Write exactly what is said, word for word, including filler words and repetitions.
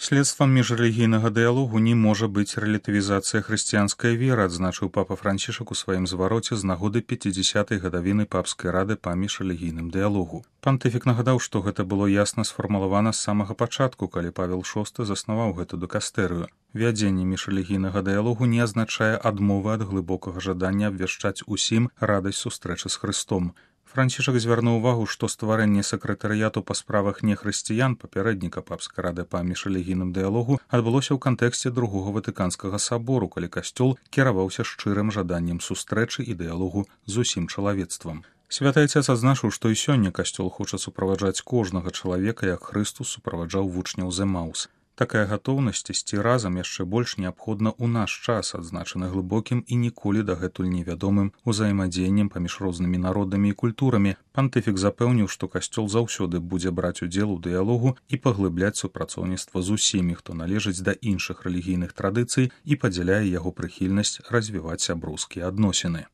Следствам міжрэлігійнага дыялогу не можа быць рэлятывізацыя хрысціянскай веры, адзначыў папа Францішак у сваім звароце з нагоды пяцідзясятай гадавіны папскай рады па міжрэлігійным дыялогу. Пантыфік нагадаў, што гэта было ясна сфармулавана з самага пачатку, калі Павел шосты заснаваў гэту дыкастэрыю. Вядзенне міжрэлігійнага дыялогу не азначае адмовы ад глыбокага жадання абвяшчаць усім радасць сустрэчы з Хрыстом. Францішак звярнуў увагу, што стварэнне сакратарыяту па справах нехрысціян, папярэдніка папскай рады па міжрэлігійным дыялогу, адбылося ў кантэксце другога ватыканскага сабору, калі касцёл кіраваўся шчырым жаданнем сустрэчы і дыялогу з усім чалавецтвам. Святы Айцец адзначыў, што і сёння касцёл хоча суправаджаць кожнага чалавека, як Хрыстус суправаджаў вучняў з Эмаус. Такая гатоўнасць ісці разам яшчэ больш неабходна ў наш час, адзначаны глыбокім і ніколі дагэтуль невядомым узаемадзеяннем паміж рознымі народамі і культурамі. Пантыфік запэўніў, што касцёл заўсёды будзе браць удзел у дыялогу і паглыбляць супрацоўніцтва з усімі, хто належыць да іншых рэлігійных традыцый і падзяляе яго прыхільнасць развіваць сяброўскія адносіны.